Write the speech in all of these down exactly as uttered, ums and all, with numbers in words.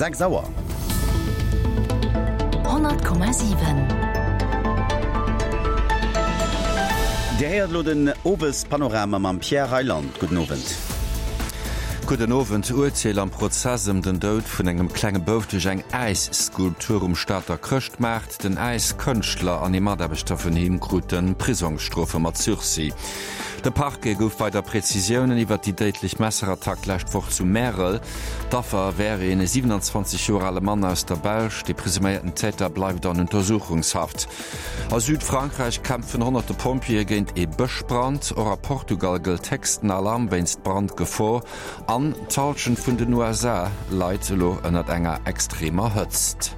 Sechs Auer. Honnert Komma siwen. Dir héiert elo den Owespanorama mam Pierre Reyland. Gudden Owend. Gudden Owend. Urteel am Prozess ëm den Doud vun engem klenge Bouf duerch eng Äisskulptur um Stater Chrëschtmaart. Den Äiskënschtler an ee Mataarbechter vun him krute Prisongsstrofe mat Sursis. De Parquet gouf weider Prezisiounen iwwert déi déidlech Messerattack d'lescht Woch zu Märel. D'Affer wär een siewenanzwanzeg Joer ale Mann aus der Belsch. De presuméierten Täter bleift an Untersuchungshaft. A Südfrankräich kämpfen honnerte Pompjeeë géint ee Bëschbrand. Och a Portugal gëllt héchsten Alarm wéinst Brandgefor. An d'Hallschent vun den U S A leit elo ënnert enger extremer Hëtzt.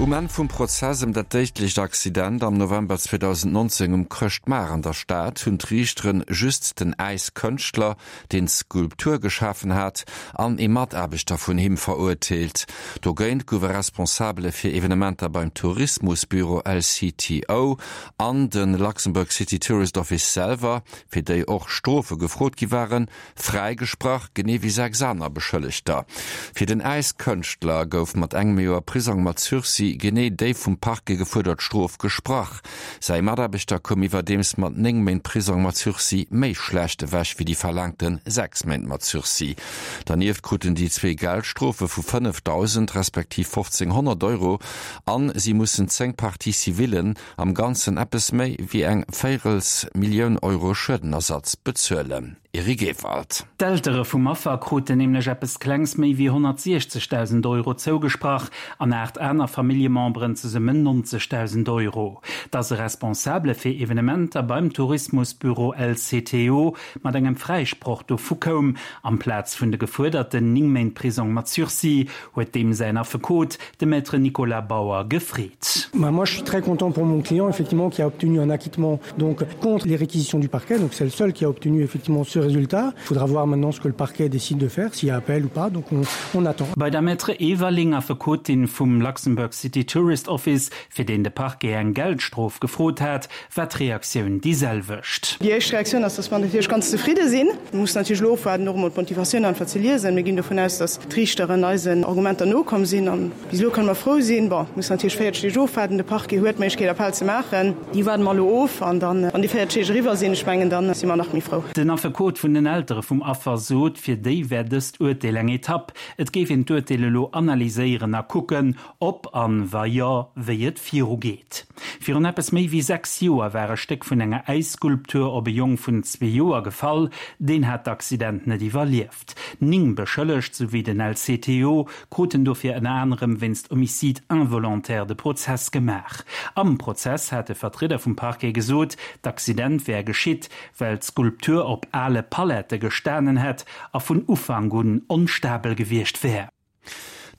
Um Enn vum Prozess ëm dat déidlecht Accident am November zweedausendnonzéng um Chrëschtmaart an der Stad hunn d'Riichteren just den Äiskënschtler, deen d'Skulptur geschafen hat, an ee Mataarbechter vun him verurteelt. Dogéint gouf e Responsabele fir Evenementer beim Tourismusbüro L C T O an de Luxembourg City Tourist Office selwer, fir déi och Strofe gefrot gi waren, fräigesprach, genee wéi sechs aner Beschëllegter. Fir den Äiskënschtler gouf mat engem Joer Prisong mat Sursis genee déi vum Parquet gefuerdert Strof gesprach. Säi Mataarbechter koum iwwerdeems mat néng Méint Prisong mat Sursis méi schlecht ewech wéi déi verlaangte sechs Méint mat Sursis. Dernieft kruten déi zwee Geldstrofe vu fënnefdausend respektiv fofzénghonnert Euro an si mussen zéng Parties civilen am Ganzen eppes méi wéi eng Véierelsmillioun Euro Schuedenersatz bezuelen. Eric Ewald. D'Eltere vum Affer kruten nämlech eppes Klengs méi wéi honnertsiechzegdausend Euro zougesprach an aacht aner Familljememberen zesummen nonzegdausend Euro. Dass e Responsable fir Evenementer beim Tourismusbüro L C T O mat engem Fräisproch dovu koum, amplaz vun de gefuerderten néng Méint Prisong mat Sursis, huet deem säin Affekot, de Maître Nicolas Bauer, gefreet. Bah, moi, je suis très content pour mon client, effectivement, qui a obtenu un acquittement donc, contre les réquisitions du parquet. Donc, c'est le seul qui a obtenu effectivement ce résultat. Il faudra voir maintenant ce que le parquet décide de faire, s'il y a appel ou pas. Donc, on, on attend. Bei der Maître Everling Affekotin vum Luxembourg City Tourist Office, fir deen de Parquet eng Geldstrof gefrot hat, war d'Reaktioun déi selwecht. Déi éischt Reaktioun ass, dass mer natierlech ganz zefridde sinn. Wir mussen natierlech elo ofwaarden, och emol d'Motivatioun einfach ze liesen. Mir ginn dovun aus, dass d'Riichteren eisen Argumenter nokomm sinn. An bis elo kënne mer frou sinn. Bon, wir mussen natierlech véierzeg Deeg ofwaarden. De Parquet huet d'Méiglechkeet, Appell ze maachen. Déi waarden mer elo of. An dann, wann déi véierzeg Deeg eriwwer sinn, ech mengen, dann si mer nach méi frou. Den Affekot vun den Eltere vum Affer sot, fir déi wär dëst Urteel eng Etapp. Et géif een d'Urteel elo analyséieren a kucken, ob an wa jo, wéi et virugeet. Virun eppes méi wéi sechs Joer war e Stéck vun enger Äisskulptur op e Jong vun zwee Joer gefall, deen hat d'Accident net iwwerlieft. Ning beschëllegt, souwéi den L C T O, kruten dofir ënner anerem wéinst Homicide involontaire de Prozess gemaach. Am Prozess hat de Vertrieder vum Parquet gesot, d'Accident wär geschitt, well d'Skulptur op ale Palette gestanen hätt a vun Ufank un onstabel gewiescht wär.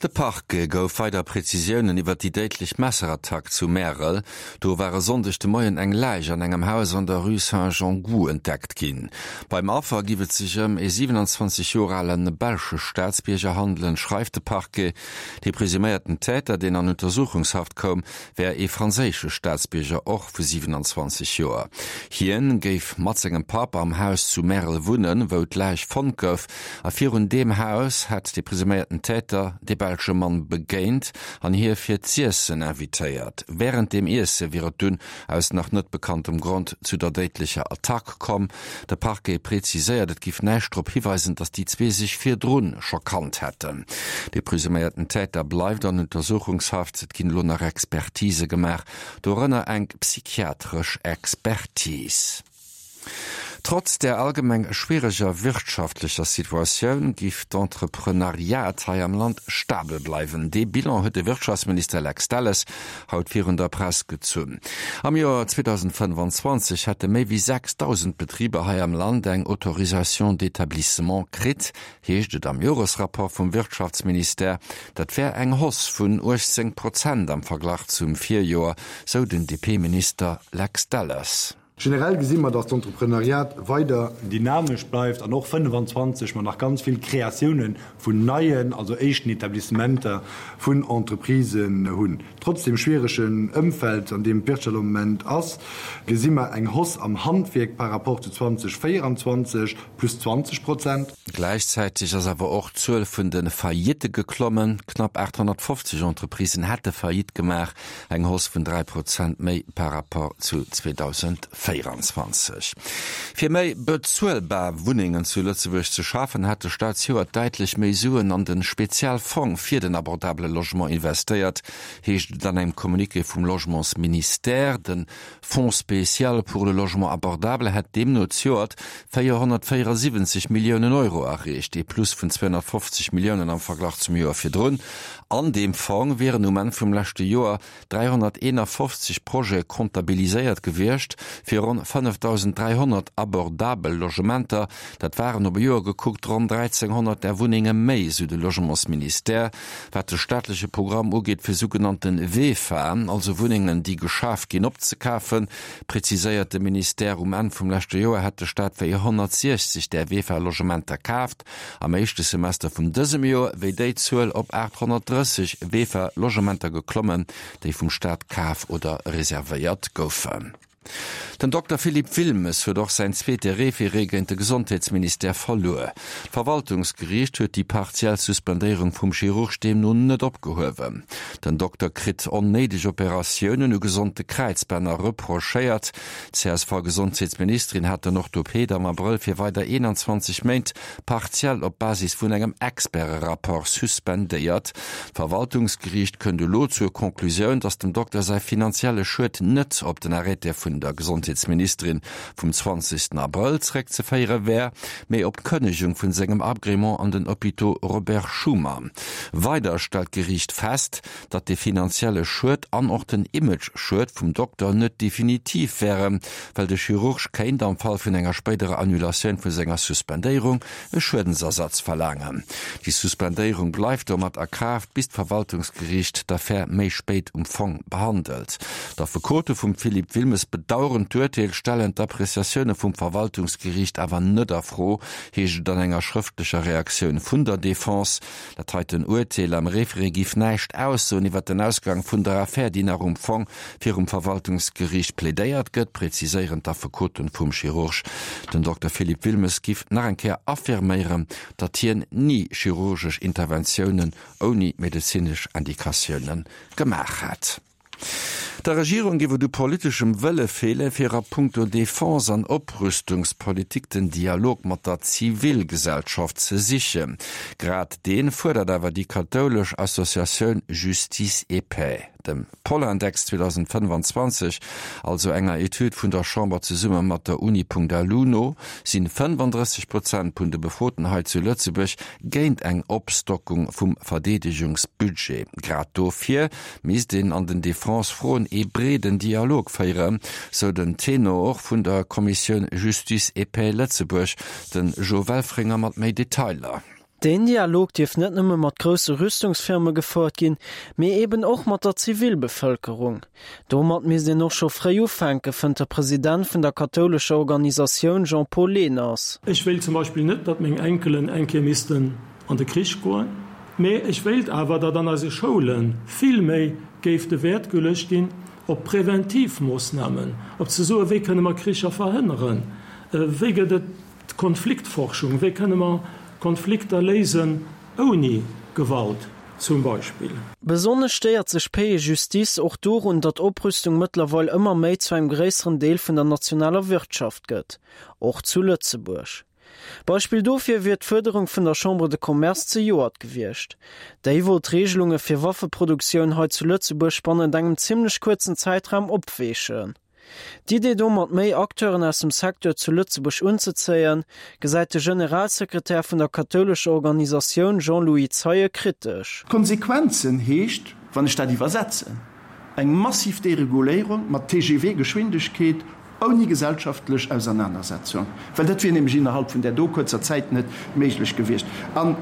De Parquet gouf weider Prezisiounen iwwer déi déidlech Messerattack zu Märel. Do war e Sonndeg de Moien eng Läich an engem Haus an der Rue Saint-Gengoux entdeckt ginn. Beim Affer giff et sech ëm e siewenundzwanzeg Joer alen belsche Staatsbierger handelen, schreift de Parquet. De presuméierten Täter, deen an Untersuchungshaft koum, wär e franséische Staatsbierger och vu siewenundzwanzeg Joer. Hien géif mat sengem Papp am Haus zu Märel wunnen, wou d'Läich fonnt gouf, a virun deem Haus hätt de presuméierten Täter de belsche Mann begéint an hie fir z'Iessen invitéiert. Während dem Iesse wier et dunn aus nach net bekanntem Grond zu der déidlecher Attack komm. De Parquet präziséiert, et giff näischt drop hiweisen, dass déi zwee sech virdrun scho kannt hätten. De presuméierten Täter bleift an Untersuchungshaft, et ginn elo nach Expertise gemaach, dorënner eng psychiatresch Expertise. Trotz der allgemeng schwieriger wirtschaftlicher Situatioun giff d'Entrepreneuriat hei am Land stabel bleiwen. De Bilan huet de Wirtschaftsminister Lex Delles haut virun der Press gezunn. Am Joer zweitausendfënnefundzwanzeg hätte méi wéi sechstausend Betriber hei am Land eng Autorisation d'établissement kritt, heescht et am Joresrapport vum Wirtschaftsministère. Dat wär eng Hausse vun uechtzéng Prozent am Verglach zum Virjoer, sou den D P-Minister Lex Delles. Generell gesi mer, dass d'Entrepreneuriat weider dynamesch bleift an och fënnefanzwanzeg mer nach ganz vill Kreatioune vun neien, also éischten Etablissementer vun Entreprisen hunn. Trotz deem schwieregen Ëmfeld, an deem d'Wirtschaft am Moment ass, gesi mer eng Hausse am Handwierk par rapport zu zweitausendvéieranzwanzeg, plus zwanzeg Prozent. Gläichzäiteg ass awer och d'Zuel vun de Faillitte geklommen. Knapp aathonnertfofzeg Entreprisen hätte Faillite gemaach, eng Hausse vun dräi Prozent méi par rapport zu zweedausendvéieranzwanzeg Fir méi bezuelbar Wunnengen zu Lëtzebuerg ze schafen, hätt de Staat zejoert däitlech méi Suen an de Spezialfong fir den abordabele Logement investéiert, heescht et an engem Communiqué vum Logementsministère. De Fonds spécial pour le logement abordable hätt deemno zejoert véierhonnertvéierasiwwenzeg Milliounen Euro erreecht, ee Plus vun zweehonnertfofzeg Milliounen am Verglach zum Joer virdrun. An deem Fong wieren um Enn vum leschte Joer dräihonnerteenafofzeg Projete comptabiliséiert gewiescht, fir ronn fënnefdausend dräihonnert abordabel Logementer. Dat waren op e Joer gekuckt ronn dräizénghonnert där Wunnenge méi, sou de Logementsministère. Wat de staatleche Programm ugeet fir sougenannte VEFAen, also Wunnengen déi geschaf ginn, opzekafen, preziséiert de Ministère, um Enn vum leschte Joer hätt de Staat véierhonnertsiechzeg där VEFA-Logementer kaaft. Am éischte Semester vun dësem Joer wéi déi Zuel op aathonnertdrësseg VEFA-Logementer geklommen, déi vum Staat kaf oder reservéiert goufen. Den Dokter Philippe Wilmes huet och säin zweete Référé géint de Gesondheetsministère verluer. D'Verwaltungsgeriicht huet déi partiell Suspendéierung vum Chirurg deemno net opgehuewen. Den Dokter kritt onnéideg Operatiounen u gesonde Kräizbänner reprochéiert. D'CSV-Gesondheetsministerin hat den Orthopäd am Abrëll fir weider eenanzwanzeg Méint partiell op Basis vun engem Experterapport suspendéiert. D'Verwaltungsgeriicht kënnt elo zur Conclusioun, datt dem Dokter säi finanzielle Schued net op den Arrêté vun der Gesondheetsministerin vum zwanzegsten Abrëll zeréckzeféiere wär, mee op d'Kënnegung vun sengem Agrément an den Hôpitaux Robert Schuman. Weider stellt d'Geriicht fest, datt de finanzielle Schued an och den Image-Schued vum Dokter net definitiv wären, well de Chirurg kéint am Fall vun enger spéiderer Annulatioun vu senger Suspendéierung e Schuedensersatz verlaangen. Déi Suspendéierung bleift domat a Kraaft, bis d'Verwaltungsgeriicht d'Affär méi spéit um Fong behandelt. D'Affekote vum Philippe Wilmes bedaueren d'Urteel, stellen d'Appreciatioune vum Verwaltungsgeriicht awer net a Fro, heescht et an enger schrëftlecher Reaktioun vun der Defense. Dat heiten Urteel am Référé giff näischt aussoen iwwer den Ausgang vun der Affär, déi nach um Fong virum Verwaltungsgeriicht plädéiert gëtt, präziséieren d'Affekoten vum Chirurg. Den Dokter Philippe Wilmes giff nach eng Kéier affirméieren, datt hien ni chirurgesch Interventiounen ouni medezinesch Indikatioune gemaach hätt. Der Regierung géif et u politeschem Wëlle feelen, fir a punkto Defense an Oprüstungspolitik den Dialog mat der Zivilgesellschaft ze sichen. Grad dee fuerdert awer déi kathoulesch Associatioun Justice et Paix. Dem Polindex zweedausendfënnefanzwanzeg, also enger Etüd vun der Chamber zesumme mat der Uni.lu no, sinn fënnefandrësseg Prozent vun de Befroten hei zu Lëtzebuerg géint eng Opstockung vum Verdeedegungsbudget. Grad dofir misst een an den Defense-Froen ee breeden Dialog féieren, sou den Tenor vun der Kommissioun Justice et Paix Lëtzebuerg, de Jo Welfringer mat méi Detailer. Deen Dialog dierf net nëmme mat grousse Rüstungsfirme gefouert ginn, mee eben och mat der Zivilbevëlkerung. Domat misst een och scho fréi ufänken, fënnt de President vun der kathoulescher Organisatioun Jean-Paul Lehners. Ech wéilt zum Beispill net, datt meng Enkelen eng Kéier missten an de Krich goen, mee ech wéilt awer, datt an eise Schoule vill méi géif de Wäert geluecht ginn op Präventivmoossnamen, op ze soen, wéi kënne mer Kricher verhënneren, wéi gëtt et Konfliktforschung, wéi kënne mer Konflikter léisen ouni Gewalt zum Beispill. Besonnesch stéiert sech Paix et Justice och dorun, datt Oprüstung mëttlerweil ëmmer méi zu engem gréisseren Deel vun der nationaler Wirtschaft gëtt, och zu Lëtzebuerg. Beispill dofir wier d'Fuerderung vun der Chambre de Commerce zejoert gewiescht. Déi wollt d'Reegelunge fir Waffeproduktioun hei zu Lëtzebuerg bannent engem zimmlech kuerzen Zäitraum opweechen. D'Idee domat méi Acteuren aus dem Secteur zu Lëtzebuerg unzezéien, gesäit de Generalsekretär vun der kathoulescher Organisatioun Jean-Louis Zeien kritesch. Konsequenzen heescht, wann ech dat iwwersetzen, eng massiv Dereguléierung mat T G V-Geschwindegkeet ouni gesellschaftlech Ausernanersetzung, well dat wier nämlech innerhalb vun där do kuerzer Zäit net méiglech gewiescht. An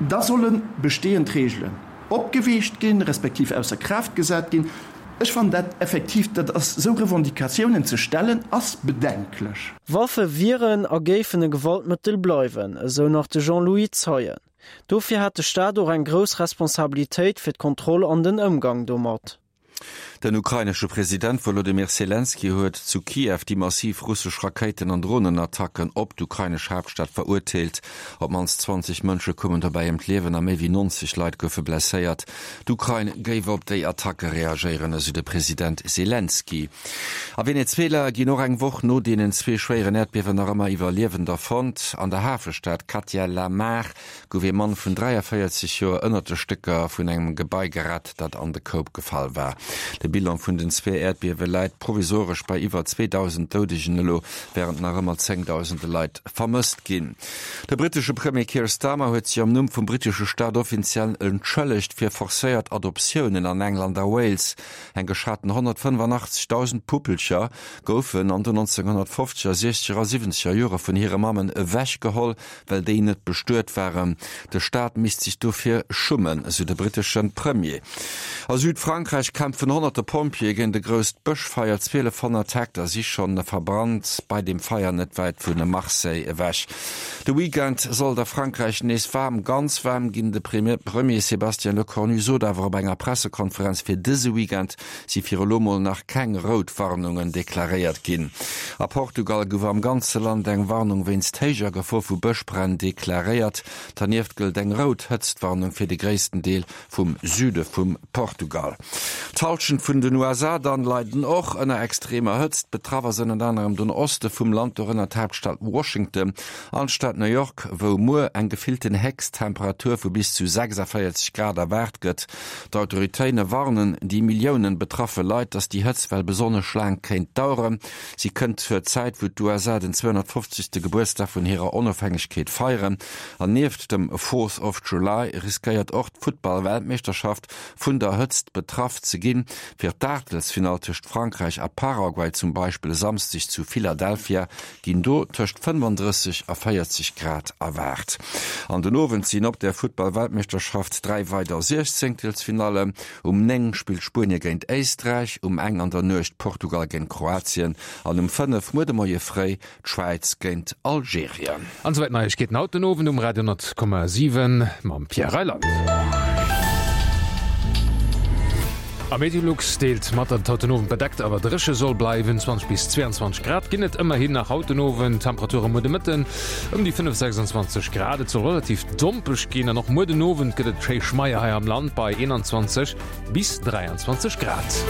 da solle bestehend Reegelen opgeweecht ginn, respektiv ausser Kraaft gesat ginn. Ech fannen dat effektiv, dat ass, esou Revendicatiounen ze stellen, ass bedenklech. Waffe wieren a géifen e Gewaltmëttel bleiwen, esou nach de Jean-Louis Zeien. Dofir hätt de Staat och eng grouss Responsabilitéit fir d'Kontroll an den Ëmgang domat. Den ukrainesche President Wolodymyr Selenskyj huet zu Kiew déi massiv russesch Rakéiten an Dronenattacken op d'ukrainesch Haaptstad verurteelt. Op d'mannst zwanzeg Mënsche koumen dobäi ëm d'Liewen a méi wéi neunzeg Leit goufe blesséiert. D'Ukrain géif op déi Attacke reagéieren, esou de President Selenskyj. A Venezuela ginn och eng Woch no deenen zwee schwéieren Äerdbiewen nach ëmmer Iwwerliewender fonnt. An der Hafestad Catia La Mar gouf ee Mann vun dräiavéierzeg Joer ënnert de Stécker vun engem Gebai gerett, dat an de Koup gefall war. De Bilan vun den zwee Äerdbiewe läit provisoresch bei iwwer zweedausend Doudegen elo, wärend nach ëmmer zéngdausende Leit vermësst ginn. De brittesche Premier Keir Starmer huet sech am Numm vum brittesche Staat offiziell entschëllegt fir forcéiert Adoptiounen an England a Wales. Eng geschaten honnertfënnefanachtzeghdausend Puppelcher goufen an den nonzénghonnertfofzeger, siechzeger a siwwenzeger Jore vun hire Mammen ewechgeholl, well déi net bestuet waren. De Staat misst sech dofir schummen, esou de brittesche Premier. A Südfrankräich kämpfen honnerte Pompjeeë géint e grousst Bëschfeier. Zwielefhonnert Hektar si schonn verbrannt bei deem Feier net wäit vu Marseille ewech. De Weekend soll et a Frankräich nees waarm, ganz waarm ginn. De Premier Sébastien Lecornu sot awer op enger Pressekonferenz, fir dëse Weekend si fir elo mol nach keng rout Warnungen deklaréiert ginn. A Portugal gouf am ganze Land eng Warnung wéinst héijer Gefor vu Bëschbränn deklaréiert. Dernieft gëllt eng rout Hëtztwarnung fir de gréissten Deel vum Süde vum Portugal. D'Hallschent vun den U S A dann leiden och ënner extremer Hëtzt. Betraff ass ënnert anerem den Oste vum Land, dorënner d'Haaptstad Washington an d'Stad New York, wou muer eng gefillten Héchsttemperatur vu bis zu sechsavéierzeg Grad erwaart gëtt. D'Autoritéine warnen déi Milliounen betraffe Leit, dass déi Hëtztwell besonnesch laang kéint daueren. Si kënnt zur Zäit, wou d'U S A den zweehonnertfofzegste Gebuertsdag vun hirer Onofhängegkeet feieren. An nieft dem Fourth of July riskéiert och d'Futtball-Weltmeeschterschaft vun der Hëtzt betraff ze ginn. Fir d'Aachtelsfinall tëscht Frankräich a Paraguay zum Beispill e Samsdeg zu Philadelphia ginn do tëscht fënnefandrësseg a véierzeg Grad erwaart. An den Owend sinn op der Futtball-Weltmeeschterschaft dräi weider Siechzéngtelsfinallen. Um néng spillt Spuenie géint Éisträich, um eng an der Nuecht Portugal géint Kroatien an um fënnef muer de Moie fréi d'Schwäiz géint Algerien. An esouwäit d'Neiegkeeten haut den Owend um Radio honnert Komma siwen mam Pierre Reyland. A Meteolux deelt mat, datt et haut den Owend bedeckt awer dréche soll bleiwen. zwanzeg bis zweiundzwanzeg Grad ginn et ëmmerhin nach haut den Owend, Temperature muer de Mëtten ëm déi fënnef, sechsundzwanzeg Grad. Et soll relativ dompeg ginn an och muer den Owend gëtt et schéi schmeier hei am Land bei eenanzwanzeg bis dräianzwanzeg Grad.